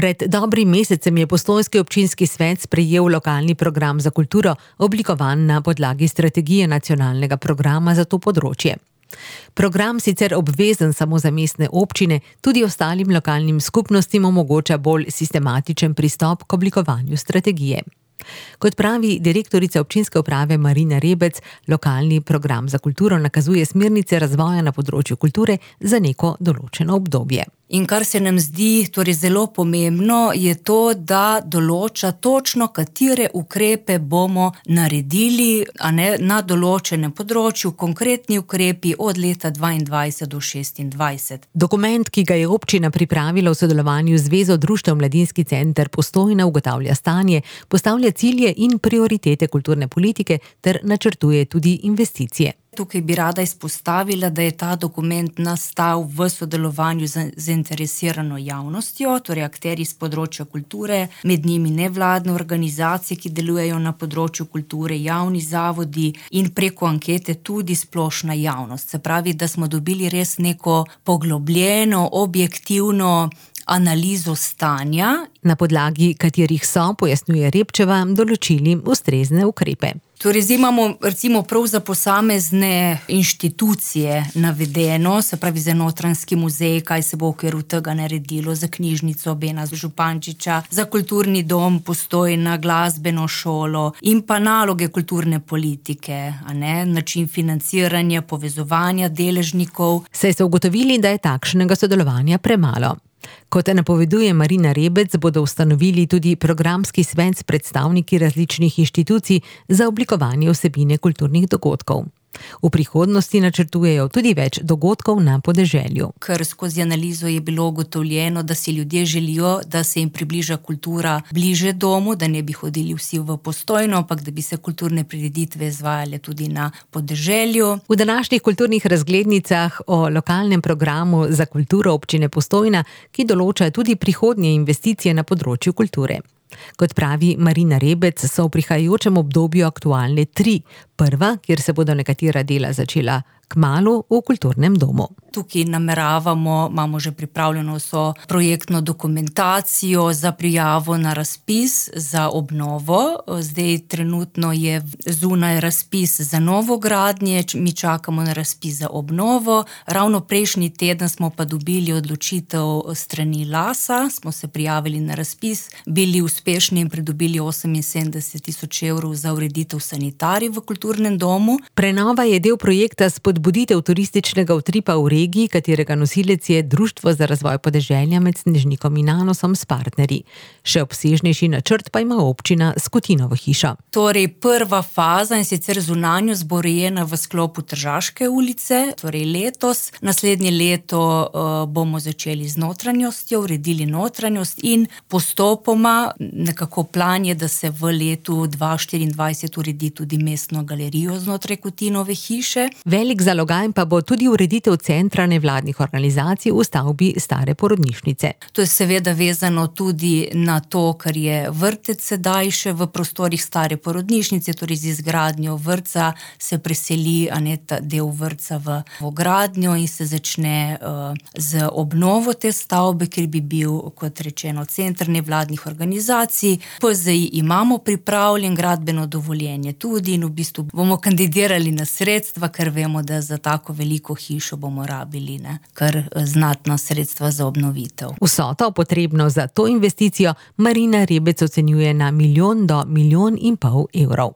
Pred dobrim mesecem je postojnski občinski svet sprejel lokalni program za kulturo, oblikovan na podlagi strategije nacionalnega programa za to področje. Program sicer obvezen samo za mestne občine, tudi ostalim lokalnim skupnostim omogoča bolj sistematičen pristop k oblikovanju strategije. Kot pravi direktorica občinske uprave Marina Rebec, lokalni program za kulturo nakazuje smernice razvoja na področju kulture za neko določeno obdobje. In kar se nam zdi zelo pomembno, je to, da določa točno, katere ukrepe bomo naredili, na določenem področju, konkretni ukrepi od leta 2022 do 2026. Dokument, ki ga je občina pripravila v sodelovanju z Zvezo društev Mladinski center Postojna, ugotavlja stanje, postavlja cilje in prioritete kulturne politike ter načrtuje tudi investicije. Tukaj bi rada izpostavila, da je ta dokument nastal v sodelovanju z zainteresirano javnostjo, torej akterji s področja kulture, med njimi nevladne organizacije, ki delujejo na področju kulture, javni zavodi in preko ankete tudi splošna javnost. Se pravi, da smo dobili res neko poglobljeno, objektivno analizo stanja, na podlagi katerih so, pojasnjuje Repčeva, določili ustrezne ukrepe. Torej, zdaj imamo recimo prav za posamezne inštitucije navedeno, se pravi za Notranjski muzej, kaj se bo v okviru tega naredilo, za knjižnico Bena Župančiča, za kulturni dom Postojna, glasbeno šolo in pa naloge kulturne politike, način financiranja, povezovanja deležnikov. Saj so ugotovili, da je takšnega sodelovanja premalo. Kot napoveduje Marina Rebec, bodo ustanovili tudi programski svet s predstavniki različnih inštitucij za oblikovanje vsebine kulturnih dogodkov. V prihodnosti načrtujejo tudi več dogodkov na podeželju. Ker skozi analizo je bilo ugotovljeno, da si ljudje želijo, da se jim približa kultura bliže domu, da ne bi hodili vsi v Postojno, ampak da bi se kulturne prireditve izvajale tudi na podeželju. V današnjih kulturnih razglednicah o lokalnem programu za kulturo občine Postojna, ki določa tudi prihodnje investicije na področju kulture. Kot pravi Marina Rebec, so v prihajajočem obdobju aktualne 3. Prva, kjer se bodo nekatera dela začela kmalu v kulturnem domu. Tukaj imamo že pripravljeno vso projektno dokumentacijo za prijavo na razpis za obnovo. Zdaj trenutno je zunaj razpis za novogradnje, mi čakamo na razpis za obnovo. Ravno prejšnji teden smo pa dobili odločitev strani LAS-a, smo se prijavili na razpis, bili uspešni in pridobili 78 000 evrov za ureditev sanitarij v kulturnem domu. Prenova je del projekta spodbuditev turističnega utripa v regiji, katerega nosilec je Društvo za razvoj podeželja med Snežnikom in Anosom s partnerji. Še obsežnejši načrt pa ima občina Skutinovo hišo. Torej, prva faza, in sicer zunanjost, bo urejena v sklopu Tržaške ulice, torej letos. Naslednje leto bomo začeli z notranjostjo, uredili notranjost in postopoma nekako plan je, da se v letu 2024 uredi tudi mestno galerijo znotraj Kutinove hiše. Velik zalogaj pa bo tudi ureditev centra nevladnih organizacij v stavbi stare porodnišnice. To je seveda vezano tudi na to, kar je vrtec sedaj še v prostorih stare porodnišnice, torej z izgradnjo vrtca se preseli ta del vrtca v gradnjo in se začne z obnovo te stavbe, ker bi bil, kot rečeno, center nevladnih organizacij. PZI imamo pripravljen, gradbeno dovoljenje tudi in v bistvu bomo kandidirali na sredstva, ker vemo, da za tako veliko hišo bomo rabili kar znatna sredstva za obnovitev. Vsoto potrebno za to investicijo Marina Rebec ocenjuje na 1 milijon do 1,5 milijona evrov.